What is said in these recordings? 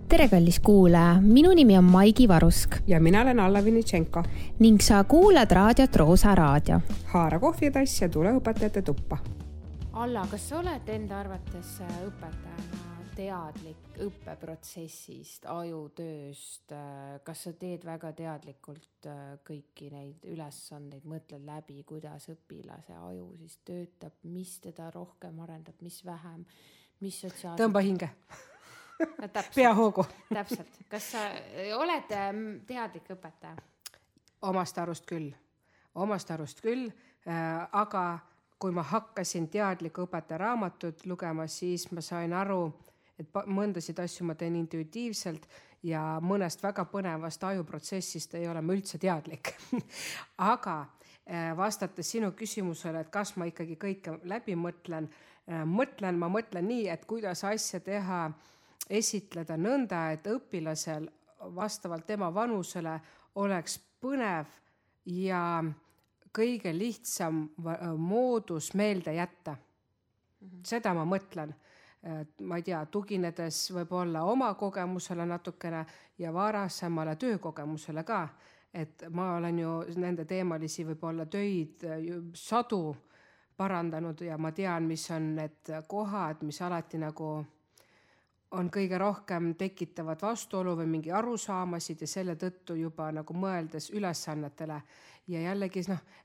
Tere kallis kuulaja, minu nimi on Maigi Varusk. Ja mina olen Alla Vinitšenko. Ning sa kuulad raadiot Roosa Raadio. Haara kohvitass ja tule õpetajate tuppa. Alla, kas sa oled enda arvates õpetajana teadlik õppeprotsessist, ajutööst? Kas sa teed väga teadlikult kõiki neid ülesandeid, mõtled läbi, kuidas õpilase aju siis töötab, mis teda rohkem arendab, mis vähem, mis sotsiaalselt... Tõmba hinge. No, Peahoogu. Täpselt. Kas sa oled teadlik õpetaja? Omast arust küll. Aga kui ma hakkasin teadliku õpetaja raamatut lugema, siis ma sain aru, et mõndasid asju ma teen intuitiivselt ja mõnest väga põnevast ajuprotsessist ei ole ma üldse teadlik. Aga vastates sinu küsimusele, et kas ma ikkagi kõike läbi mõtlen, ma mõtlen nii, et kuidas asja teha, esitleda nõnda, et õpilasel vastavalt tema vanusele oleks põnev ja kõige lihtsam moodus meelde jätta. Seda ma mõtlen. Ma ei tea, tuginedes võib-olla oma kogemusele natukene ja varasemale töökogemusele ka. Et ma olen ju nende teemalisi võib-olla töid sadu parandanud ja ma tean, mis on need kohad, mis alati nagu on kõige rohkem tekitavad vastuolu või mingi arusaamasid ja selle tõttu juba nagu mõeldes ülesannetele ja jällegi,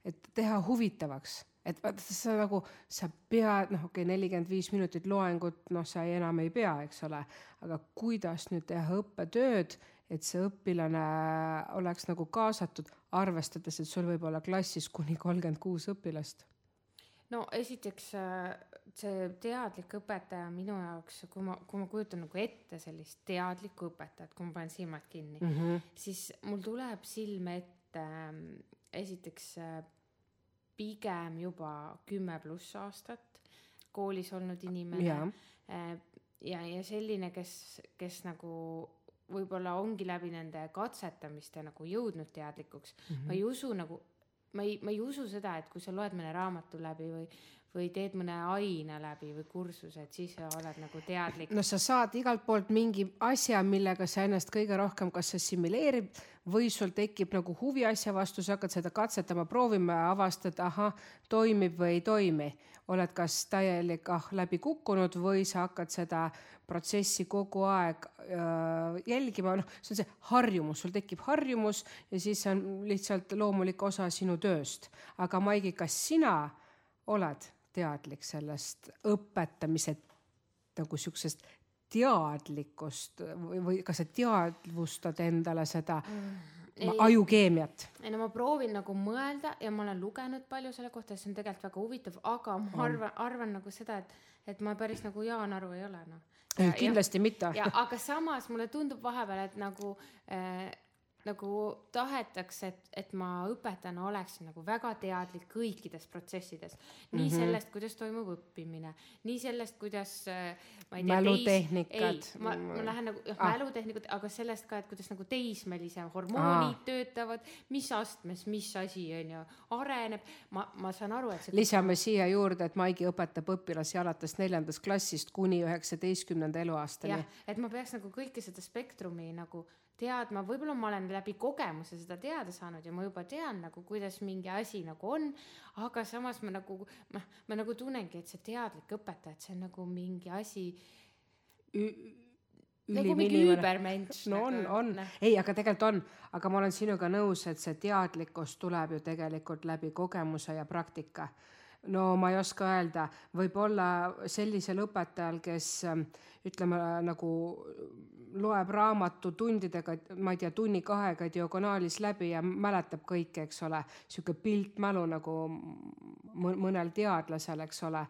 et teha huvitavaks. Et sa nagu, sa pead, 45 minutit loengut, sa enam ei pea, eks ole, aga kuidas nüüd teha õppetööd, et see õpilane oleks nagu kaasatud, arvestades, et sul võib olla klassis kuni 36 õpilast. No esiteks see teadlik õpetaja minu jaoks, kui ma kujutan nagu ette sellist teadlikku õpetajat, kui ma panen silmad kinni, siis mul tuleb silme ette esiteks pigem juba 10+ aastat koolis olnud inimene ja selline, kes nagu võib-olla ongi läbi nende katsetamiste nagu jõudnud teadlikuks. Ma ei usu seda, et kui sa loed mõne raamatu läbi või teed mõne aina läbi või kursuse, et siis sa oled nagu teadlik. No sa saad igalt poolt mingi asja, millega sa ennast kõige rohkem kas assimileerib või sul tekib nagu huvi asja vastu, sa hakkad seda katsetama, proovima ja avastad, toimib või ei toimi. Oled kas täielik läbi kukkunud või sa hakkad seda protsessi kogu aeg jälgima. See on see harjumus, sul tekib harjumus ja siis on lihtsalt loomulik osa sinu tööst. Aga Maigi, kas sina oled teadlik sellest õpetamise nagu siuksest teadlikust või kas sa teadvustad endale seda ajukeemiat? No ma proovin nagu mõelda ja ma olen lugenud palju selle kohta, see on tegelikult väga huvitav, aga ma arvan nagu seda, et ma päris nagu Jaan Aru ei ole. Kindlasti mitte. Aga samas mulle tundub vahepeal, et nagu tahetakse, et ma õpetajana oleksin nagu väga teadlik kõikides protsessides. Nii sellest, kuidas toimub õppimine, nii sellest, kuidas ma ei tea, mälutehnikad. Ma lähen nagu mälutehnikud, aga sellest ka, et kuidas nagu teismelise hormoonid töötavad, mis astmes, mis asi on ju, areneb. Ma saan aru, et lisame siia juurde, et Maigi õpetab õpilasi alates 4. klassist kuni 19. eluaastani. Et ma peaks nagu kõike seda spektrumi nagu teadma, võib-olla ma olen läbi kogemuse seda teada saanud ja ma juba tean nagu, kuidas mingi asi nagu on, aga samas ma nagu tunnengi, et see teadlik õpetaja, et see on nagu mingi asi nagu mingi üübermensch. No on. Ei, aga tegelikult on, aga ma olen sinuga nõus, et see teadlikkus tuleb ju tegelikult läbi kogemuse ja praktika. No ma ei oska öelda, võib-olla sellisel õpetajal, kes ütleme nagu loeb raamatu tundidega, ma ei tea, tunni 2 diagonaalis läbi ja mäletab kõike, eks ole, siuke piltmälu nagu mõnel teadlasel, eks ole.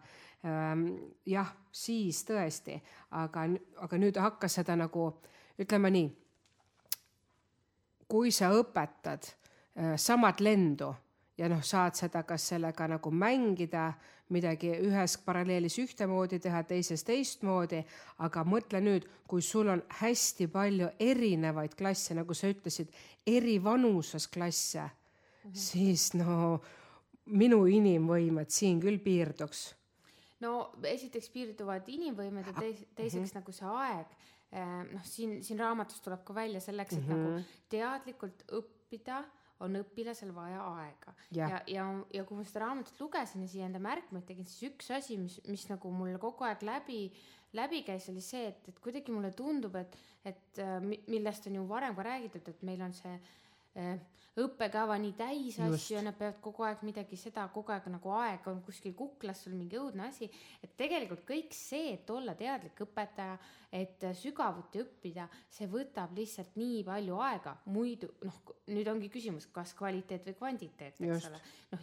Jah, siis tõesti, aga nüüd hakkas seda nagu, ütleme nii, kui sa õpetad samad lendu, ja saad seda kas sellega nagu mängida, midagi ühes paralleelis ühtemoodi teha, teises teistmoodi, aga mõtle nüüd, kui sul on hästi palju erinevaid klasse, nagu sa ütlesid, eri vanuses klasse, siis minu inimvõimed siin küll piirduks. No esiteks piirduvad inimvõimed ja teiseks nagu see aeg. siin raamatus tuleb ka välja selleks, et nagu teadlikult õppida on õpilasel vaja aega. Ja kui ma seda raamatut lugesin ja siia enda märkmeid tegin, siis üks asi, mis nagu mulle kogu aeg läbi käis, oli see, et kuidagi mulle tundub, et millest on ju varem ka räägitud, et meil on see õppekava nii täis asju ja nad peavad kogu aeg midagi seda, kogu aeg nagu aeg on kuskil kuklas sul mingi õudne asi, et tegelikult kõik see, et olla teadlik õpetaja, et sügavuti õppida, see võtab lihtsalt nii palju aega, muidu nüüd ongi küsimus, kas kvaliteet või kvantiteet, eks ole.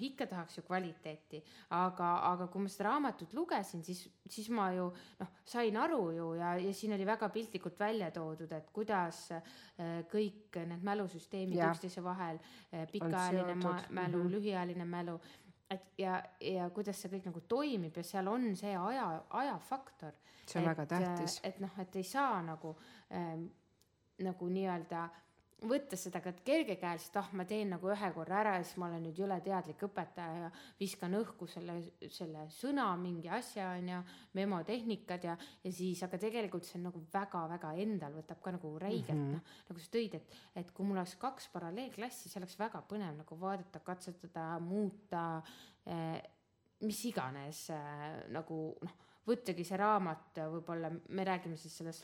Ikka tahaks ju kvaliteeti, aga kui ma seda raamatut lugesin, siis ma ju sain aru ju ja siin oli väga piltlikult välja toodud, et kuidas kõik need mälusüsteemid üksteise vahel, pikaajaline mälu, lühiajaline mälu, ja kuidas see kõik nagu toimib ja seal on see ajafaktor. See on väga tähtis. Et ei saa nagu nii-öelda võtta seda ka kergekäeliselt, ma teen nagu ühe korra ära ja siis ma olen nüüd jõle teadlik õpetaja ja viskan õhku selle sõna, mingi asja on ja memotehnikad ja siis, aga tegelikult see on nagu väga-väga endal võtab ka nagu räigelt, nagu sa tõid, et kui mul oleks 2 paralleelklassi, see oleks väga põnev nagu vaadata, katsetada, muuta, mis iganes nagu võttagi see raamat, võib-olla me räägime siis sellest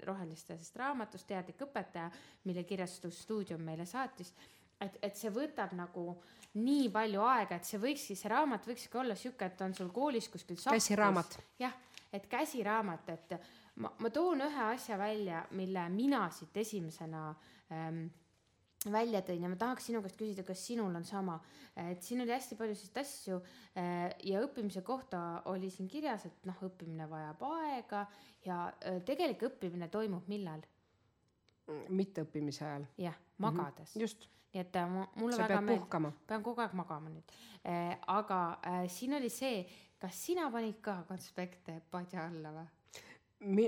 rohelistest raamatust Teadlik õpetaja, mille kirjastusstuudium meile saatis, et see võtab nagu nii palju aega, et see raamat võikski olla siuke, et on sul koolis kuskil sahtlis. Käsiraamat. Jah, et käsiraamat, et ma toon ühe asja välja, mille mina siit esimesena välja tõin ja ma tahaks sinu käest küsida, kas sinul on sama, et siin oli hästi palju sellist asju ja õppimise kohta oli siin kirjas, et õppimine vajab aega ja tegelik õppimine toimub millal? Mitte õppimise ajal. Jah, magades. Just. Nii et mulle sa väga pead puhkama. Pean kogu aeg magama nüüd. Aga siin oli see, kas sina panid ka konspekte padja alla või?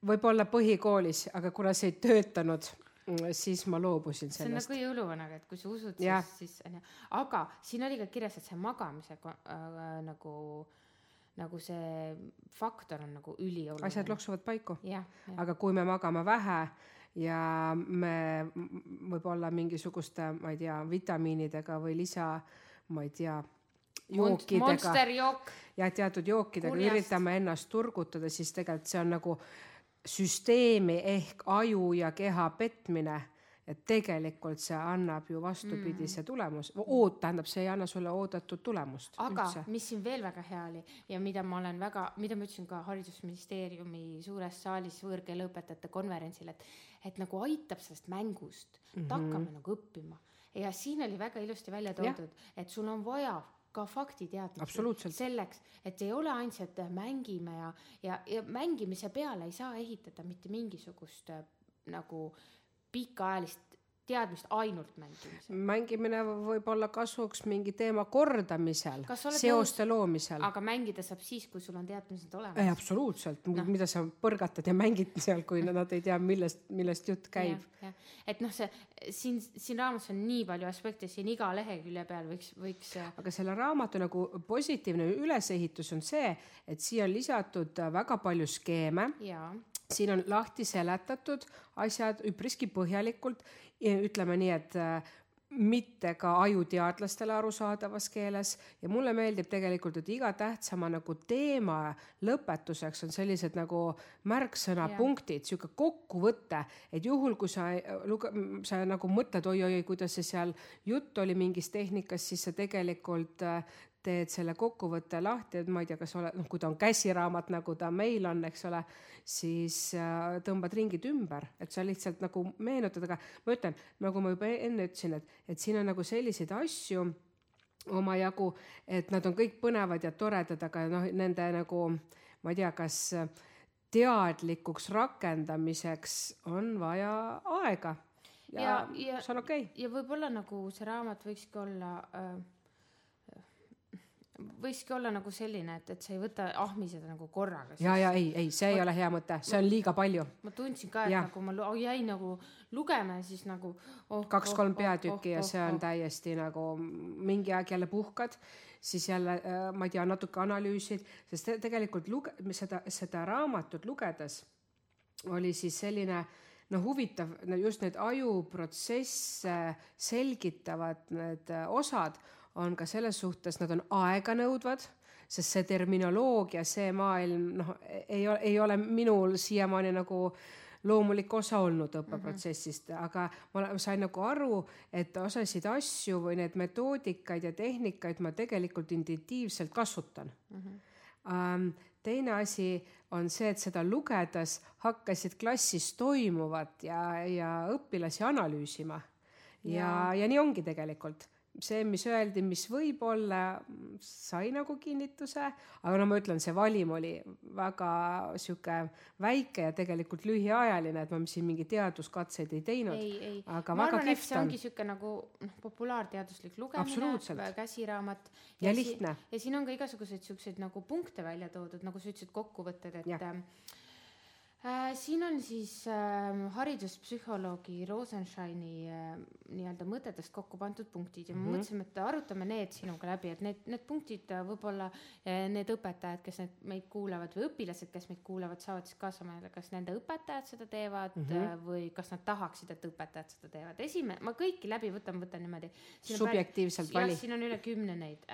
Võib-olla põhikoolis, aga kuna see ei töötanud, siis ma loobusin sellest. See on nagu jõuluvanaga, et kui sa usud, siis aga siin oli ka kirjas, et see magamise nagu see faktor on nagu ülioluline. Asjad loksuvad paiku. Ja. Aga kui me magame vähe ja me võib-olla mingisuguste, ma ei tea, vitamiinidega või jookidega. Monsterjook. Ja teatud jookidega üritame ennast turgutada, siis tegelikult see on nagu süsteemi ehk aju ja keha petmine, et tegelikult see annab ju vastupidise tulemus. Tähendab, see ei anna sulle oodatud tulemust. Aga üldse. Mis siin veel väga hea oli ja mida ma ütlesin ka Haridusministeeriumi suures saalis võõrkeeleõpetajate konverentsil, et nagu aitab sellest mängust, et hakkame nagu õppima. Ja siin oli väga ilusti välja toodud, et sul on vaja ka faktiteadmised selleks, et ei ole ainult, et mängime ja mängimise peale ei saa ehitada mitte mingisugust nagu pikaajalist teadmist ainult mängimisel. Mängimine võib olla kasuks mingi teema kordamisel, seoste loomisel. Aga mängida saab siis, kui sul on teadmised olemas. Absoluutselt, mida sa põrgatad ja mängid seal, kui nad ei tea, millest jutt käib. Ja. Et siin raamatus on nii palju aspekte, siin iga lehekülje peal võiks... Aga selle raamatu nagu positiivne ülesehitus on see, et siia on lisatud väga palju skeeme. Jaa. Siin on lahti seletatud asjad üpriski põhjalikult, ütleme nii, et mitte ka ajuteadlastele arusaadavas keeles ja mulle meeldib tegelikult, et iga tähtsama nagu teema lõpetuseks on sellised nagu märksõnapunktid, siuke kokkuvõte, et juhul kui sa nagu mõtled, oi, kuidas see seal jutt oli mingis tehnikas, siis sa tegelikult teed selle kokkuvõtte lahti, et ma ei tea, kas kui ta on käsiraamat, nagu ta meil on, eks ole, siis tõmbad ringid ümber, et sa lihtsalt nagu meenutad, aga ma ütlen, nagu ma juba enne ütlesin, et siin on nagu selliseid asju omajagu, et nad on kõik põnevad ja toredad, aga nende nagu, ma ei tea, kas teadlikuks rakendamiseks on vaja aega ja see on okei. Ja võib-olla nagu see raamat võikski olla nagu selline, et sa ei võta ahmiseda nagu korraga. Ei, see ei ole hea mõte, see on liiga palju. Ma tundsin ka, et nagu ma jäin nagu lugema ja siis nagu 2-3 peatükki ja see on täiesti nagu mingi aeg jälle puhkad, siis jälle, ma ei tea, natuke analüüsid, sest tegelikult seda raamatut lugedes oli siis selline huvitav, just need ajuprotsesse selgitavad need osad on ka selles suhtes, nad on aeganõudvad, sest see terminoloogia, see maailm ei ole minul siiamaani nagu loomulik osa olnud õppeprotsessist, aga ma sain nagu aru, et osasid asju või need metoodikaid ja tehnikaid ma tegelikult intuitiivselt kasutan. Teine asi on see, et seda lugedes hakkasid klassis toimuvat ja õpilasi analüüsima. Ja nii ongi tegelikult. See, mis öeldi, mis võib olla, sai nagu kinnituse, aga ma ütlen, see valim oli väga siuke väike ja tegelikult lühiajaline, et ma siin mingi teaduskatseid ei teinud. Aga ma väga arvan, et see kihvt on. ongi siuke nagu populaarteaduslik lugemine, Absoluutselt. käsiraamat. Ja lihtne. Ja siin on ka igasuguseid siukseid nagu punkte välja toodud, nagu sa ütlesid kokkuvõtted, et siin on siis hariduspsühholoogi Rosensteini nii-öelda mõtetest kokku pandud punktid ja ma mõtlesin, et arutame need sinuga läbi, et need punktid võib-olla need õpetajad, kes meid kuulavad või õpilased, kes meid kuulavad, saavad siis kaasa mõelda, kas nende õpetajad seda teevad või kas nad tahaksid, et õpetajad seda teevad. Ma kõiki läbi võtan niimoodi. Subjektiivselt vali. Siin on üle 10 neid.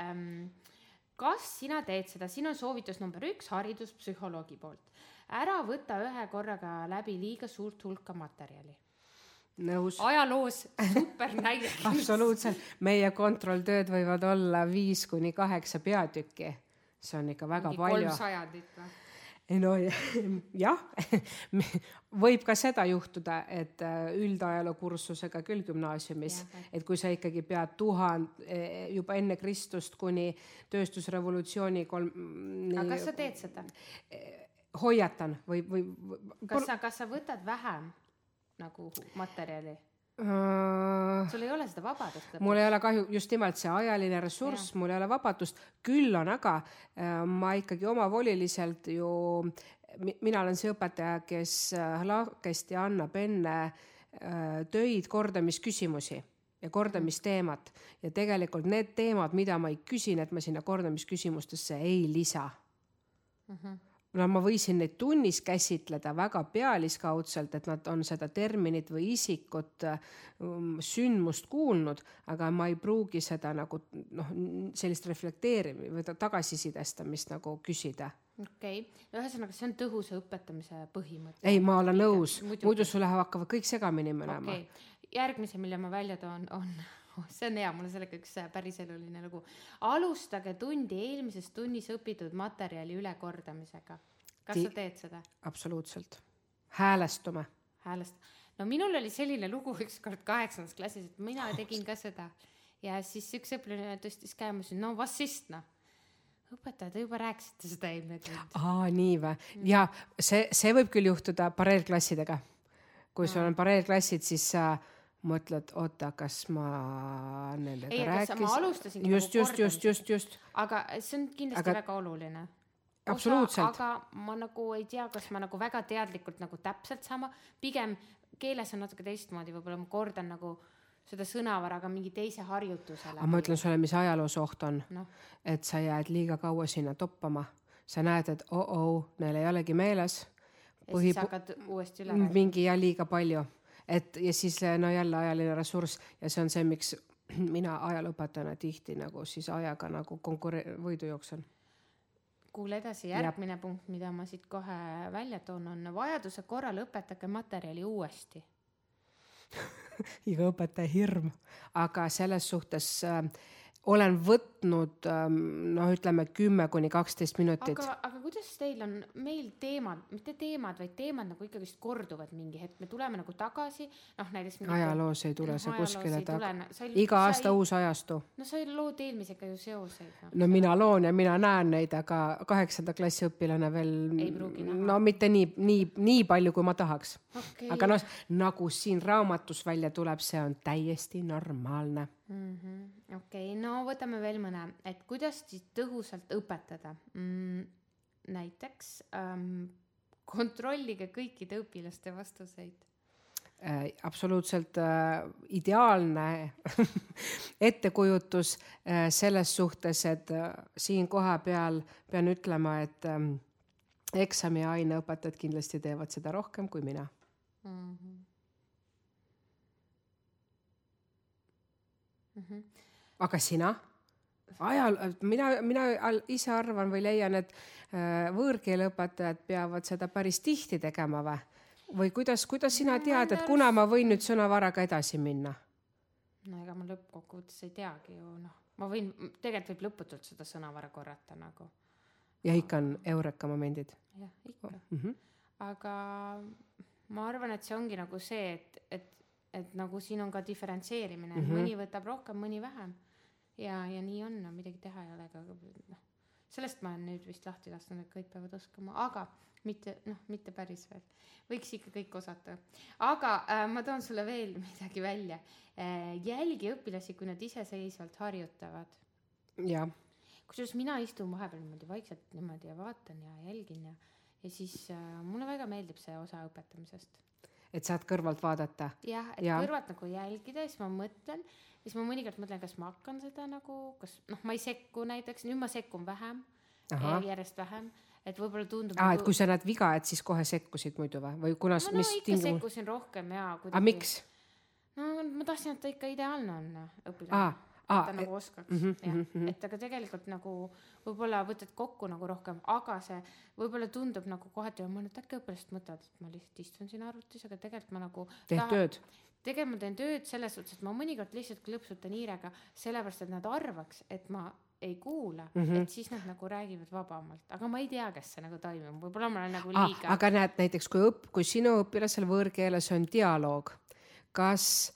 Kas sina teed seda? Siin on soovitus number 1 hariduspsühholoogi poolt. Ära võta ühe korraga läbi liiga suurt hulka materjali. Nõus. Ajaloos super näide. Absoluutselt. Meie kontrolltööd võivad olla 5-8 peatükki. See on ikka väga palju. 300 No jah, võib ka seda juhtuda, et üldajalookursusega küll gümnaasiumis, et kui sa ikkagi pead 1000 juba enne Kristust kuni tööstusrevolutsiooni Aga kas sa teed seda? Hoiatan või kas sa võtad vähem nagu materjali? Sul ei ole seda vabadust? Mul ei ole kahju, just nimelt see ajaline ressurss, mul ei ole vabadust, küll on aga ma ikkagi omavoliliselt ju, mina olen see õpetaja, kes lahkesti annab enne töid kordamisküsimusi ja kordamisteemat ja tegelikult need teemad, mida ma ei küsin, et ma sinna kordamisküsimustesse ei lisa. Ma võisin neid tunnis käsitleda väga pealiskaudselt, et nad on seda terminit või isikut sündmust kuulnud, aga ma ei pruugi seda nagu sellist reflekteerimist või tagasisidestamist nagu küsida. Okei. Ühesõnaga, see on tõhusa õpetamise põhimõte. Ei, ma olen nõus. Muidu sulle hakkavad kõik segamini minema. Järgmise, mille ma välja toon, on see on hea, mul on sellega üks päris eluline lugu. Alustage tundi eelmises tunnis õpitud materjali ülekordamisega. Kas sa teed seda? Absoluutselt. Häälestume. No minul oli selline lugu üks kord 8. klassis, et mina tegin ka seda. Ja siis üks õpilane tõstis käimusin, no vas sist, õpetaja, te juba rääkisite seda eelmine tund. Nii või? Ja see võib küll juhtuda pareelklassidega. Kui sul on pareelklassid, siis mõtled, oota, kas ma nendega rääkisin? Ma alustasin just. Aga see on kindlasti väga oluline. Absoluutselt. Aga ma nagu ei tea, kas ma nagu väga teadlikult nagu täpselt sama. Pigem keeles on natuke teistmoodi, võib-olla ma kordan nagu seda sõnavaraga mingi teise harjutusele. Aga ma ütlen sulle, mis ajaloos oht on. Et sa jääd liiga kaua sinna toppama. Sa näed, et neil ei olegi meeles. Ja siis hakkad uuesti üle rääkida. Mingi ja liiga palju. Ja siis jälle ajaline ressurss ja see on see, miks mina ajalooõpetajana tihti nagu siis ajaga nagu võidu jooksen. Kuule edasi, järgmine punkt, mida ma siit kohe välja toon, on vajaduse korral õpetage materjali uuesti. Iga õpetaja hirm. Aga selles suhtes olen võtnud, ütleme 10-12 minutit. Aga kuidas teil on meil teemad, mitte teemad, vaid teemad nagu ikkagi korduvad mingi hetk. Me tuleme nagu tagasi. Ajaloos ei tule see kuskile iga aasta uus ajastu. No sa lood eelmisega ju seoseid. No mina loon ja mina näen neid, aga 8. klassi õpilane veel ei pruugi näha. No mitte nii palju, kui ma tahaks. Aga nagu siin raamatus välja tuleb, see on täiesti normaalne. Okei, no võtame veel mõne, et kuidas siis tõhusalt õpetada. Näiteks kontrollige kõikide õpilaste vastuseid. Absoluutselt ideaalne ettekujutus selles suhtes, et siin koha peal pean ütlema, eksami ja aineõpetajad kindlasti teevad seda rohkem kui mina. Aga sina? Mina ise arvan või leian, et võõrkeeleõpetajad peavad seda päris tihti tegema või kuidas sina tead, et kuna ma võin nüüd sõnavaraga edasi minna? No ega ma lõppkokkuvõttes ei teagi ju, ma võin, tegelikult võib lõputult seda sõnavara korrata nagu. Ja ikka on eureka momendid? Jah, ikka. Aga ma arvan, et see ongi nagu see, et nagu siin on ka diferentseerimine, mõni võtab rohkem, mõni vähem. Ja nii on, midagi teha ei ole, aga sellest ma olen nüüd vist lahti lasknud, et kõik peavad oskama, aga mitte päris veel. Võiks ikka kõik osata. Aga ma toon sulle veel midagi välja. Jälgi õpilasi, kui nad iseseisvalt harjutavad. Ja. Kusjuures mina istun vahepeal niimoodi vaikselt niimoodi ja vaatan ja jälgin ja siis mulle väga meeldib see osa õpetamisest. Et saad kõrvalt vaadata? Jah, et kõrvalt nagu jälgida ja siis ma mõtlen, siis ma mõnikord mõtlen, kas ma hakkan seda nagu, kas ma ei sekku näiteks, nüüd ma sekkun vähem, järjest vähem, et võib-olla tundub... et kui sa näed viga, et siis kohe sekkusid muidu või kuna... ikka sekkusin rohkem ja... Aga miks? Ma tahtsin, et ta ikka ideaalne on õpilane. Ta nagu oskaks. Et aga tegelikult nagu võib-olla võtad kokku nagu rohkem, aga see võib-olla tundub nagu kohati ja ma nüüd äkki õpilast mõtled, et ma lihtsalt istun siin arvutis, aga tegelikult ma nagu... Tööd? Tegelikult ma teen tööd selles suhtes, et ma mõnikord lihtsalt klõpsutan hiirega sellepärast, et nad arvaks, et ma ei kuula, et siis nad nagu räägivad vabamalt. Aga ma ei tea, kes see nagu toimub. Võib-olla ma olen nagu liiga... Aga näed näiteks, kui sinu õpilasel võõrkeeles on dialoog, kas...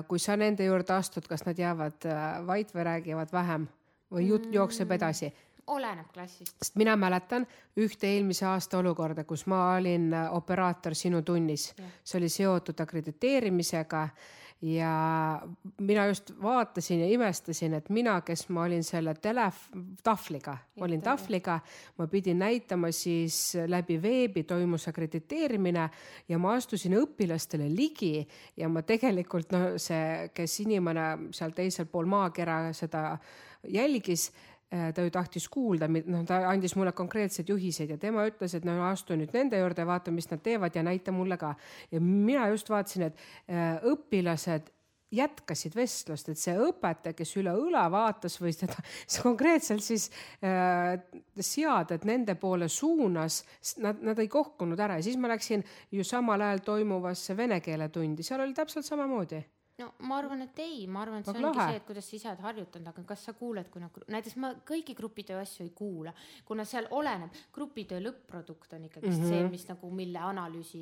kui sa nende juurde astud, kas nad jäävad vait või räägivad vähem või jutt jookseb edasi? Oleneb klassist. Sest mina mäletan ühte eelmise aasta olukorda, kus ma olin operaator sinu tunnis. See oli seotud akrediteerimisega ja mina just vaatasin ja imestasin, et mina, kes ma olin selle tafliga, ma pidin näitama siis läbi veebi toimus akrediteerimine ja ma astusin õpilastele ligi ja ma tegelikult, see, kes inimene seal teisel pool maakera seda jälgis, ta ju tahtis kuulda, ta andis mulle konkreetsed juhised ja tema ütles, et astu nüüd nende juurde, vaata, mis nad teevad ja näita mulle ka. Ja mina just vaatasin, et õpilased jätkasid vestlust, et see õpetaja, kes üle õla vaatas või seda konkreetselt siis seaded nende poole suunas, nad ei kohkunud ära ja siis ma läksin ju samal ajal toimuvasse vene keele tundi, seal oli täpselt samamoodi. No ma arvan, et ma arvan, et see ongi see, et kuidas sa ise oled harjutanud, aga kas sa kuuled, kui näiteks ma kõigi grupitöö asju ei kuula, kuna seal oleneb, grupitöö lõpp-produkt on ikkagi see, mis nagu mille analüüsi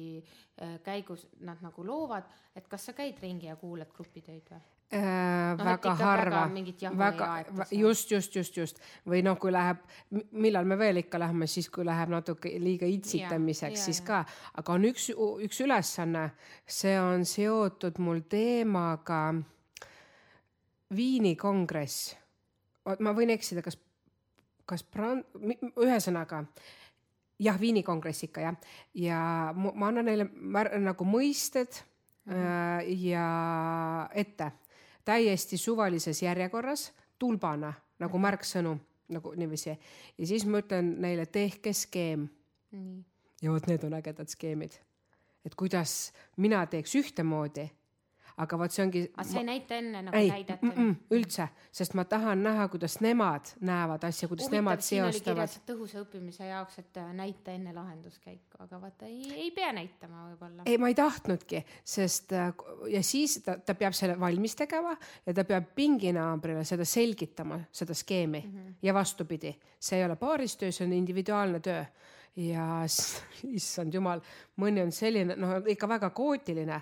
käigus nad nagu loovad, et kas sa käid ringi ja kuulad grupitöid või? Väga harva, just või kui läheb, millal me veel ikka läheme, siis kui läheb natuke liiga itsitamiseks, siis ka, aga on üks ülesanne, see on seotud mul teemaga Viini kongress, ma võin eksida, ühesõnaga Viini kongress ikka ja ma annan neile nagu mõisted ja ette täiesti suvalises järjekorras, tulbana, nagu märksõnu, nagu niiviisi. Ja siis ma ütlen neile, tehke skeem. Ja need on ägedad skeemid. Et kuidas mina teeks ühtemoodi, aga võt see ongi... Aga see ei näita enne nagu näidata? Üldse, sest ma tahan näha, kuidas nemad näevad asja, kuidas nemad seostavad. Siin oli kirjas tõhusa õppimise jaoks, et näita enne lahenduskäiku, aga vaata ei pea näitama võib-olla. Ei, ma ei tahtnudki, sest ja siis ta peab selle valmis tegema ja ta peab pinginaabrile seda selgitama, seda skeemi ja vastupidi. See ei ole paaristöö, see on individuaalne töö ja issand jumal, mõni on selline, ikka väga kootiline,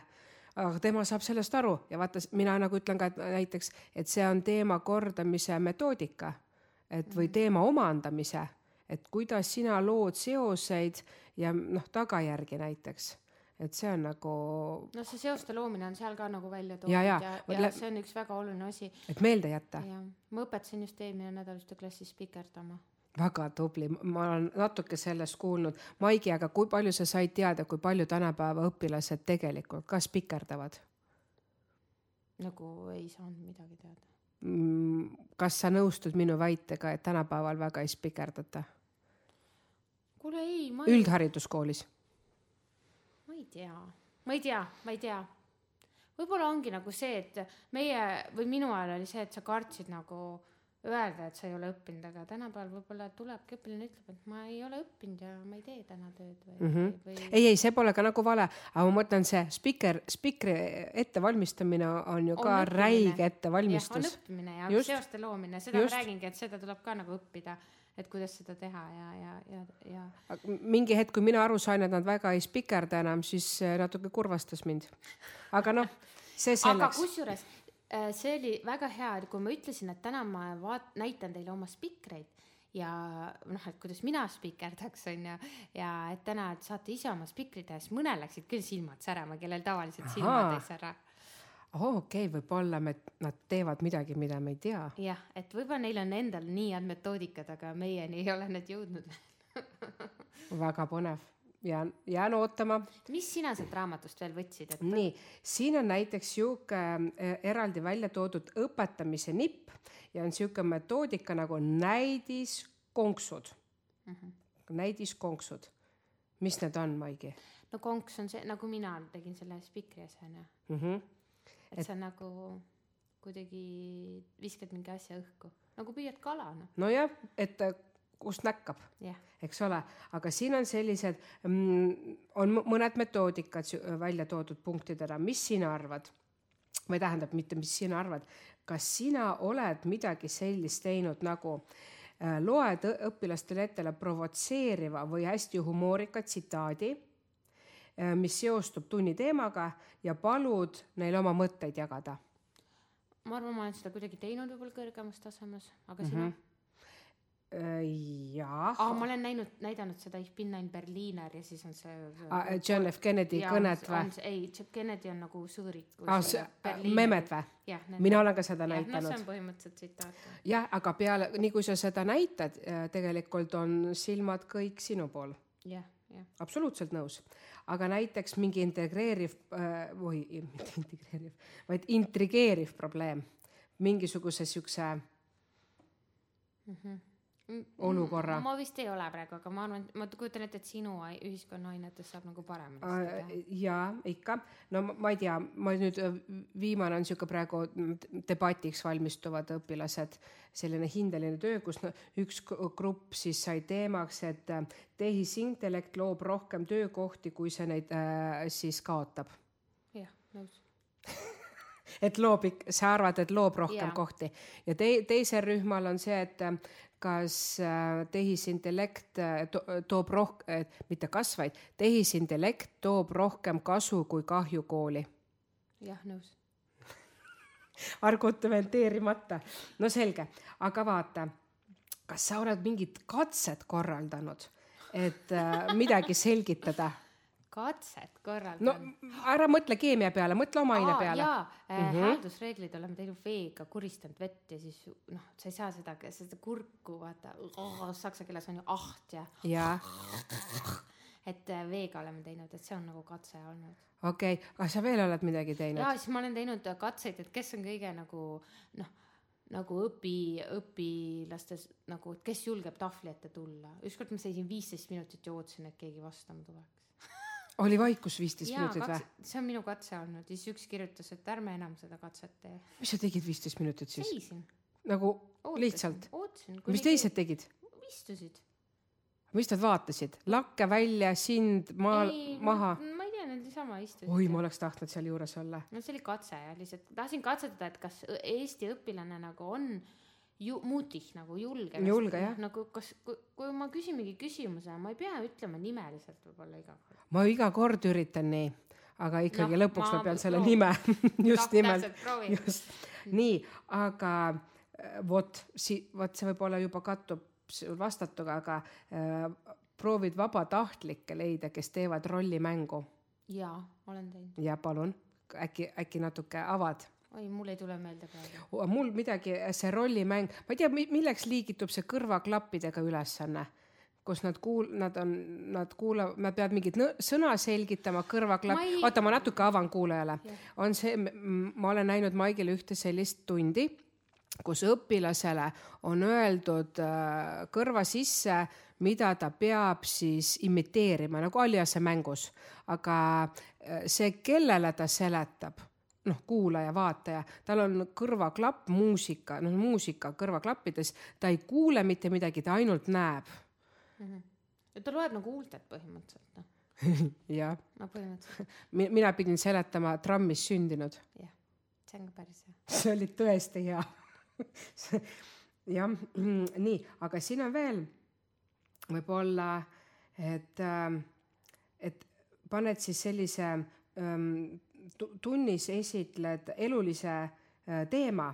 aga tema saab sellest aru ja vaata, mina nagu ütlen ka, et näiteks, et see on teema kordamise metoodika või teema omandamise, et kuidas sina lood seoseid ja tagajärgi näiteks, et see on nagu... No see seoste loomine on seal ka nagu välja toodud ja see on üks väga oluline asi. Et meelde jätta. Ma õpetasin just eelmine nädal ühte klassis spikerdama. Väga tubli, ma olen natuke sellest kuulnud. Maigi, aga kui palju sa said teada, kui palju tänapäeva õpilased tegelikult ka spikerdavad? Nagu ei saanud midagi teada. Kas sa nõustud minu väitega, et tänapäeval väga ei spikerdata? kuule ei, üldhariduskoolis? Ma ei tea. Võib-olla ongi nagu see, et meie või minu ajal oli see, et sa kartsid nagu öelda, et sa ei ole õppinud, aga tänapäeval võib-olla tulebki õpilane ütleb, et ma ei ole õppinud ja ma ei tee täna tööd või... Ei, see pole ka nagu vale, aga ma mõtlen see spikri ettevalmistamine on ju ka räige ettevalmistus. On õppimine ja seoste loomine, seda ma räägingi, et seda tuleb ka nagu õppida, et kuidas seda teha ja... Mingi hetk, kui mina aru sain, et nad väga ei spikerda enam, siis natuke kurvastas mind. Aga noh, see selleks. Aga kusjuures see oli väga hea, kui ma ütlesin, et täna ma näitan teile oma spikreid ja et kuidas mina spikerdaks on ja et täna et saate ise oma spikrid ja siis mõnel läksid küll silmad särama, kellel tavaliselt silmad ei sära. Okei, võib-olla nad teevad midagi, mida me ei tea. Jah, et võib-olla neil on endal nii head metoodikad, aga meieni ei ole need jõudnud. Väga põnev. Jään ootama. Mis sina sealt raamatust veel võtsid? Nii, siin on näiteks siuke eraldi välja toodud õpetamise nipp ja on siuke metoodika nagu näidiskonksud. Näidiskonksud. Mis need on, Maigi? No konks on see, nagu mina tegin selle spikri asjana. Et sa nagu kuidagi viskad mingi asja õhku. Nagu püüad kala. No jah, et kust näkkab, eks ole, aga siin on sellised, on mõned metoodikad välja toodud punktidena, mis sina arvad, või tähendab mitte, mis sina arvad, kas sina oled midagi sellist teinud nagu loed õpilastele ettele provotseeriva või hästi humoorika tsitaadi, mis seostub tunni teemaga ja palud neil oma mõtteid jagada? Ma arvan, ma olen seda kuidagi teinud võib-olla kõrgemas tasemes, aga sina? Jaa. Ma olen näidanud seda Ich bin ein Berliner ja siis on see... John F. Kennedy kõnet või? Ei, Kennedy on nagu sõõrik. Memed või? Mina olen ka seda näitanud. See on põhimõtteliselt tsitaat. Jah, aga peale, nii kui sa seda näitad, tegelikult on silmad kõik sinu pool. Jah. Absoluutselt nõus. Aga näiteks mingi intrigeeriv probleem. Mingisuguse siukse... olukorra. Ma vist ei ole praegu, aga ma arvan, ma kujutan ette, et sinu ühiskonna ainetes saab nagu parem. Jaa, ikka. No ma ei tea, ma nüüd viimane on siuke praegu debatiks valmistuvad õpilased, selline hindeline töö, kus üks grupp siis sai teemaks, et tehisintellekt loob rohkem töökohti, kui see neid siis kaotab. Jah, nõus. Et sa arvad, et loob rohkem kohti. Ja teisel rühmal on see, et kas tehisintellekt toob mitte kas, vaid tehisintellekt toob rohkem kasu kui kahju kooli. Jah, nõus. Argumenteerimata. No selge, aga vaata, kas sa oled mingit katset korraldanud, et midagi selgitada? Katset korraldanud? No ära mõtle keemia peale, mõtle oma aine peale. Hääldusreeglid oleme teinud veega, kuristanud vett ja siis sa ei saa seda kurku, vaata, saksa keeles on ju aht ja et veega oleme teinud, et see on nagu katse olnud. Okei, aga sa veel oled midagi teinud? Ja, siis ma olen teinud katseid, et kes on kõige nagu õpilastes, nagu, et kes julgeb tahvli ette tulla. Ükskord ma seisin 15 minutit ja ootasin, et keegi vastama tuleks. Oli vaikus 15 minutit või? See on minu katse olnud ja siis üks kirjutas, et ärme enam seda katset tee. Mis sa tegid 15 minutit siis? Seisin. Nagu lihtsalt? Ootasin. Mis teised tegid? Istusid. Mis nad vaatasid? Lakke välja, sind, maha? Ma ei tea, need sama istusid. Oi, ma oleks tahtnud seal juures olla. No see oli katse ja lihtsalt tahtsin katsetada, et kas Eesti õpilane nagu on muutih nagu julge. Julge, jah. Nagu kui ma küsin mingi küsimuse, ma ei pea ütlema nimeliselt võib-olla iga kord. Ma iga kord üritan nii, aga ikkagi lõpuks ma pean selle nime. Just nimelt. Just. Nii, aga vot see võib-olla juba kattub vastatuga, aga proovid vabatahtlikke leida, kes teevad rollimängu. Jaa, olen teinud. Ja palun, äkki natuke avad. Oi, mul ei tule meelde praegu. Mul midagi, see rollimäng, ma ei tea, milleks liigitub see kõrvaklappidega ülesanne, kus nad kuulavad, nad peavad mingid sõna selgitama, kõrvaklapp, oota, ma natuke avan kuulajale. On see, ma olen näinud Maigile ühte sellist tundi, kus õpilasele on öeldud kõrva sisse, mida ta peab siis imiteerima, nagu Aliase mängus. Aga see, kellele ta seletab, kuulaja, vaataja, tal on kõrvaklapp, muusika kõrvaklappides, ta ei kuule mitte midagi, ta ainult näeb. Ja ta loeb nagu huultet põhimõtteliselt. Jah. No põhimõtteliselt. Mina pidin seletama trammis sündinud. Jah, see on ka päris hea. See oli tõesti hea. Jah, nii, aga siin on veel võib-olla, et paned siis sellise tunnis esitled elulise teema,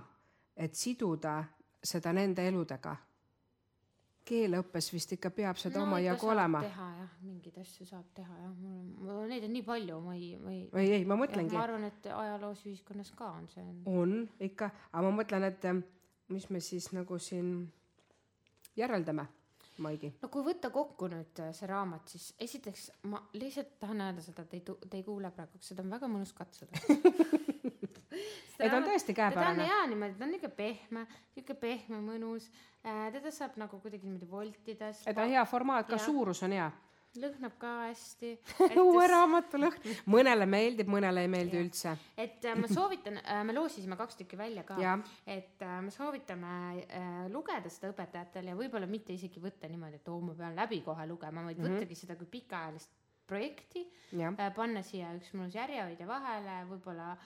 et siduda seda nende eludega. Keeleõppes vist ikka peab seda oma jagu olema. Teha, jah, mingid asju saab teha, jah. Neid on nii palju, ei, ma mõtlengi. Ma arvan, et ajaloos ühiskonnas ka on see. On ikka, aga ma mõtlen, et mis me siis nagu siin järeldame, Maigi? No kui võtta kokku nüüd see raamat, siis esiteks ma lihtsalt tahan öelda seda, et te ei kuule praegu, seda on väga mõnus katsuda. Ta on tõesti käepärane. Ta on hea niimoodi, ta on niisugune pehme, mõnus. Teda saab nagu kuidagi niimoodi voltida. Ta on hea formaat, ka suurus on hea. Lõhnab ka hästi. Uue raamatu lõhn. Mõnele meeldib, mõnele ei meeldi üldse. Et ma soovitan, me loosisime 2 tükki välja ka, et me soovitame lugeda seda õpetajatel ja võib-olla mitte isegi võtta niimoodi, et ma pean läbi kohe lugema, vaid võttagi seda kui pikaajalist projekti, panna siia üks mõnus järjehoidja vahele, võib-olla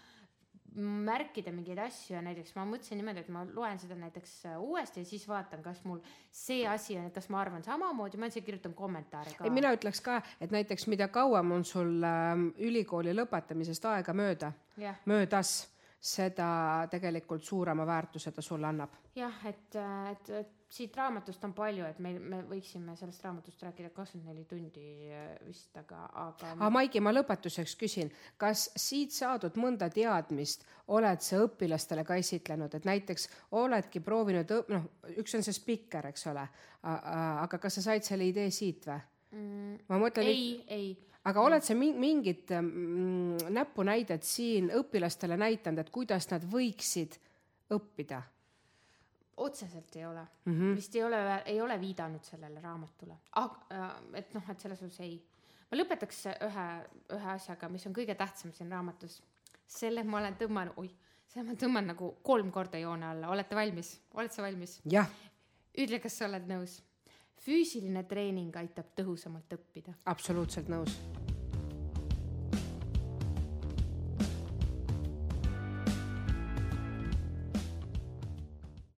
märkida mingeid asju ja näiteks ma mõtlesin niimoodi, et ma loen seda näiteks uuesti ja siis vaatan, kas mul see asi on, et kas ma arvan samamoodi, ma kirjutan kommentaare ka. Mina ütleks ka, et näiteks mida kauem on sul ülikooli lõpetamisest aega möödas, seda tegelikult suurema väärtuse ta sulle annab. Jah, et siit raamatust on palju, et me võiksime sellest raamatust rääkida 24 tundi vist, aga... Maigi, ma lõpetuseks küsin, kas siit saadud mõnda teadmist oled sa õpilastele ka esitlenud, et näiteks oledki proovinud, üks on see spikker, eks ole, aga kas sa said selle idee siit või? Ma mõtlen, ei. Aga oled sa mingid näpunäidet siin õpilastele näitanud, et kuidas nad võiksid õppida? Otseselt ei ole. Vist ei ole viidanud sellele raamatule. Et selles osas ei. Ma lõpetaks ühe asjaga, mis on kõige tähtsam siin raamatus. Selle ma olen tõmman nagu 3 korda joone alla. Olete valmis? Oled sa valmis? Jah. Ütle, kas sa oled nõus. Füüsiline treening aitab tõhusamalt õppida. Absoluutselt nõus.